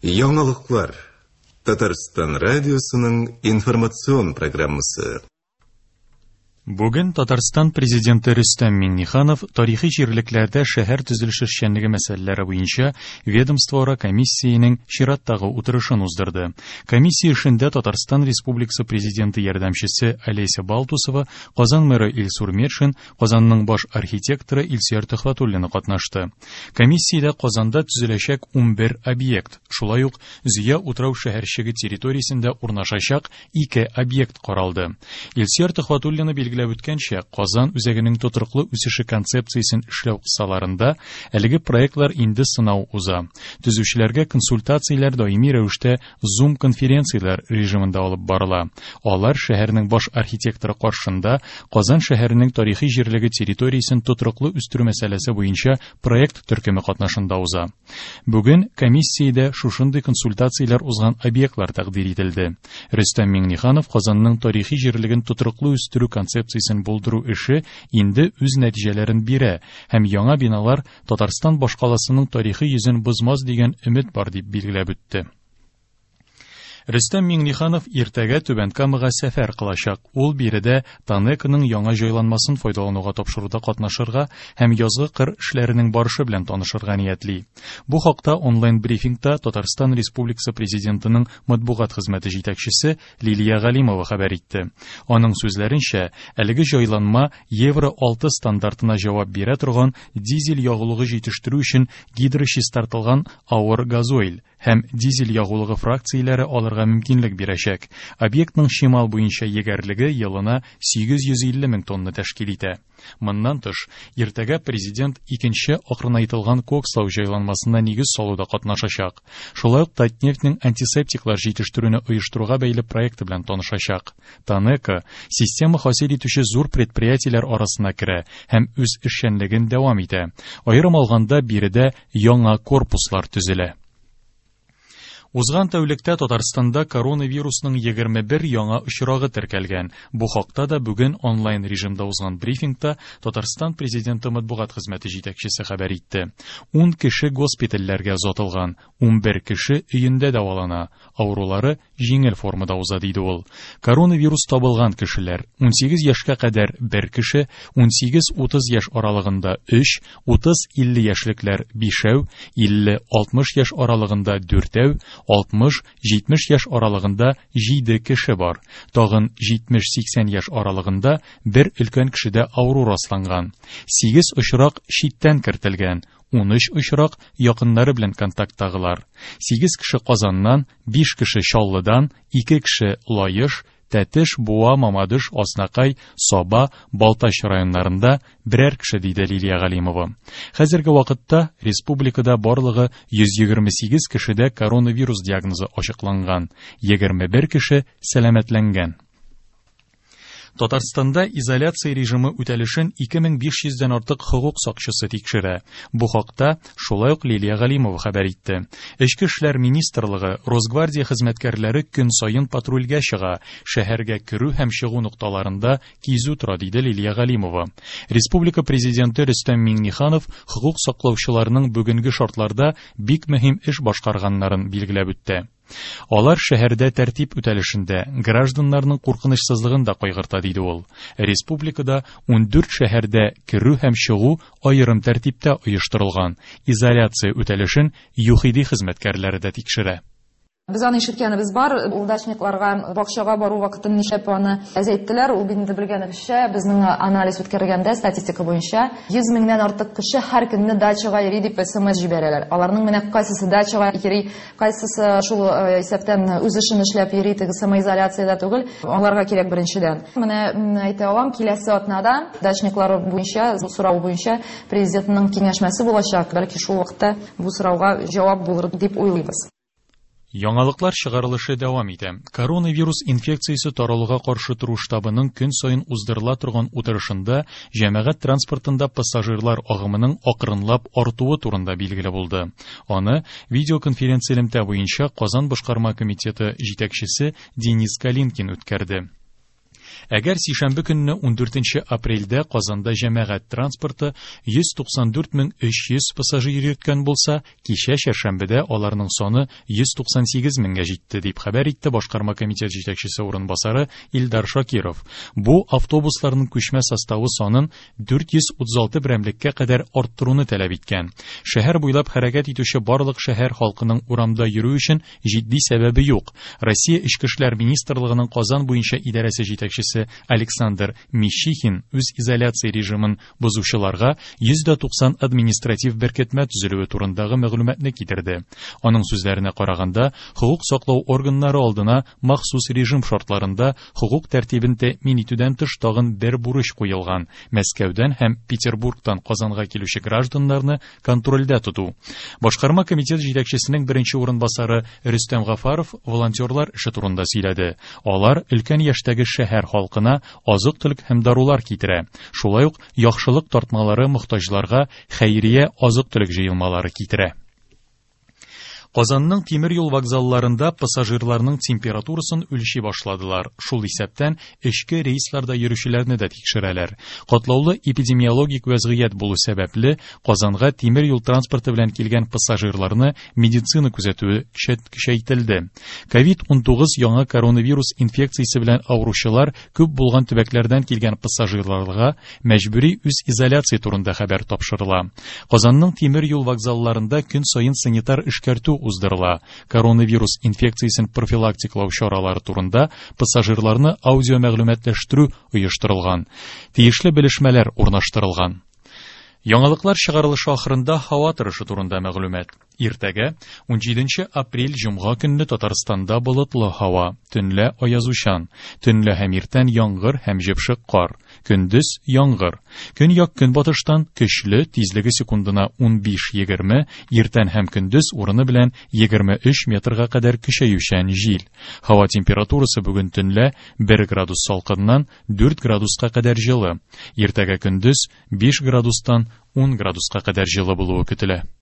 Яңалыклар. Татарстан радиосының информацион программасы. Бүген Татарстан Президенты Рөстәм Миңнеханов тарихи җирлекләрдә шәһәр төзелеше эшчәнлеге мәсьәләләре буенча ведомствоара комиссиянең чираттагы утырышын уздырды. Комиссия эшендә Татарстан Республикасы Президенты ярдәмчесе Олеся Балтусова, Казан мэры Илсур Метшин, Казанның баш архитекторы Илсөяр Төхвәтуллина катнашты. Комиссиядә Казанда төзеләчәк 11 объект, шулай ук Зөя утрау шәһәрчеге территориясендә урнашачак ике объект каралды. Илсөяр Төхвәтуллина билгеләп үткәнчә, Казан үзәгенең тотрыклы үсеше концепциясен эшләү кысаларында әлеге проектлар инде сынау уза. Төзүчеләргә консультацияләр даими рәвештә Zoom конференцияләр режимында алып барыла. Алар шәһәрнең баш архитекторы каршында Казан шәһәренең тарихи җирлеге территориясен тотрыклы үстерү мәсьәләсе буенча проект төркеме катнашында уза. Бүген комиссиядә шушындый консультацияләр узган объектлар тәкъдир ителде. Рөстәм Миңнеханов Казанның тарихи җирлеген тотрыклы үстерү концепциясен булдыру эше инде үз нәтиҗәләрен бирә һәм яңа биналар Татарстан башкаласының тарихи йөзен бозмас дигән өмет бар дип билгеләп үтте. Рөстәм Миңнеханов иртәгә Түбән Камага сәфәр кылачак. Ул биредә ТАНЕКОның яңа җайланмасын файдалануга тапшыруда катнашырга һәм язгы кыр эшләренең барышы белән танышырга ниятли. Бу хакта онлайн-брифингта Татарстан Республикасы Президентының матбугат хезмәте җитәкчесе Лилия Галимова хәбәр итте. Аның сүзләренчә, әлеге җайланма Евро 6 стандартына җавап бирә торган дизель ягулыгы җитештерү өчен гидрочистартылган авыр газойль һәм дизель ягулыгы фракцияләре алырга мөмкинлек бирәчәк. Объектның чимал буенча егәрлеге елына 850 мең тонна тәшкил итә. Моннан тыш, иртәгә Президент икенче акрынайтылган кокслау җайланмасына нигез салуда катнашачак. Шулай ук Татнефтьнең антисептиклар җитештерүне оештыруга бәйле проекты белән танышачак. ТАНЕКО система хасил итүче зур предприятиеләр арасына керә һәм үз эшчәнлеген дәвам итә. Аерым алганда, биредә яңа корпуслар төзелә. Узган тәүлектә Татарстанда коронавирусның 21 яңа очрагы теркәлгән. Бу хакта да бүген онлайн режимда узган брифингта Татарстан Президенты матбугат хезмәте җитәкчесе хәбәр итте. 10 кеше госпитальләргә озатылган, 11 кеше өендә дәвалана, авырулары җиңел формада уза, диде ул. Коронавирус табылган кешеләр, 18 яшькә кадәр бер кеше, 18-30 яшь аралыгында 3, 30-50 яшьлекләр бишәү, 50-60 яшь аралыгында дүртәү, 60-70 яшь аралыгында 7 кеше бар. Тагын 70-80 яшь аралыгында бер өлкән кешедә авыру расланган. 8 очрак читтән кертелгән, 13 очрак якыннары белән контакттагылар. 8 кеше Казаннан, 5 кеше Чаллыдан, 2 кеше Лаеш, Тәтеш, Буа, Мамадыш, Азнакай, Саба, Балтач районнарында берәр кеше, диде Лилия Галимова. Хәзерге вакытта республикада барлыгы 128 кешедә коронавирус диагнозы ачыкланган, 21 кеше сәламәтләнгән. Татарстанда изоляция режимы үтәлешен 2500 дән артык хокук сакчысы тикшерә. Бу хакта шулай ук Лилия Галимова хәбәр итте. Эчке эшләр министрлыгы, Росгвардия хезмәткәрләре көн саен патрульгә чыга, шәһәргә керү һәм чыгу нокталарында кизү тора, диде Лилия Галимова. Республика Президенты Рөстәм Миңнеханов хокук саклаучыларның бүгенге шартларда бик мөһим эш башкарганнарын билгеләп үтте. Алар шәһәрдә тәртип үтәлешендә, гражданнарның куркынычсызлыгын да кайгырта, диде ул. Республикада 14 шәһәрдә керү һәм чыгу аерым тәртиптә оештырылган, изоляция үтәлешен ЮХИДИ хезмәткәрләре дә тикшерә. Без аны ишеткәнебез бар, ул дачникларга бакчага бару вакытын нишләп аны әзәйттеләр, ул бит инде белгәнебезчә, безнең анализ үткәргәндә статистика буенча 100 меңнән артык кеше һәр көнне дачага йөри дип смс җибәрәләр. Аларның менә кайсысы дачага йөри, кайсысы шул исәптән үз эшен эшләп йөри, теге самоизоляциядә түгел, аңларга кирәк беренчедән. Менә әйтә алам, киләсе атнада дачниклар буенча, бу сорау буенча президентның киңәшмәсе булачак, бәлки шул вакытта бу сорауга җавап булыр дип уйлыйбыз. Яңалыклар чыгарылышы дәвам итә. Коронавирус инфекциясе таралуга каршы тору штабының көн саен уздырыла торган утырышында җәмәгать транспортында пассажирлар агымының акрынлап артуы турында билгеле булды. Аны видеоконференц-элемтә буенча Казан башкарма комитеты җитәкчесе Денис Калинкин үткәрде. Әгәр сишәмбе көнне 14 апрельдә Казанда җәмәгать транспорты 194 300 пассажир йөрткән булса, кичә чәршәмбедә аларның саны 198 меңгә җитте, дип хәбәр итте башкарма комитет җитәкчесе урынбасары Илдар Шакиров. Бу автобусларның күчмә составы санын 436 берәмлеккә кадәр арттыруны таләп иткән. Шәһәр буйлап хәрәкәт итүче барлык шәһәр халкының урамда йөрү өчен җитди сәбәбе юк. Россия Эчке эшләр министрлыгының Казан буенча идарәсе җитәкчесе Александр Мищихин үз изоляция режимын бозучыларга 190 административ беркетмә төзелүе турындагы мәгълүматны китерде. Аның сүзләренә караганда, хокук саклау органнары алдына махсус режим шартларында хокук тәртибен тәэмин итүдән тыш тагын бер бурыч куелган: Мәскәүдән һәм Петербургтан Казанга килүче гражданнарны контрольдә тоту. Башкарма комитет җитәкчесенең беренче урынбасары Рөстәм Гафаров волонтерлар эше турында сөйләде. Алар өлкән яшьтәге шәһәр халкына азык-төлек һәм дарулар китерә. Шулай ук яхшылык тартмалары мохтаҗларга хәйрия азык-төлек җыелмалары китерә. Казанның тимер юл вокзалларында пассажирларның температурасын үлчи башладылар. Шул исәптән эчке рейсларда йөрүчеләрне дә тикшерәләр. Катлаулы эпидемиологик вәзгыять булу сәбәпле, Казанга тимер юл транспорты белән килгән пассажирларны медицина күзәтүе көчәйтелде. Ковид-19 яңа коронавирус инфекциясе белән авыручылар күп булган төбәкләрдән килгән пассажирларга мәҗбүри үз изоляция турында хәбәр тапшырыла. Казанның тимер юл вокзалларында көн саен санитар эшкәртү уздырыла. Коронавирус инфекциясен профилактикалау чаралары турында пассажирларны аудио мәгълүматлаштыру оештырылган. Тиешле белешмәләр урнаштырылган. Яңалыклар чыгарылышы ахырында һава торышы турында мәгълүмат. Иртәгә 17 апрель җомга көнне Татарстанда болытлы һава, төнлә аязучан, төнлә һәм иртән яңгыр һәм җепшек кар, көндез яңгыр. Көньяк көнбатыштан көчле, тизлеге секундына 15-20, иртән һәм көндез урыны белән 23 метрга кадәр көчәючән җил. Һава температурасы бүген төнлә 1 градус салкыннан 4 градуска кадәр җылы. Иртәгә көндез 5 градустан 10 градуска кадәр җылы булуы көтелә.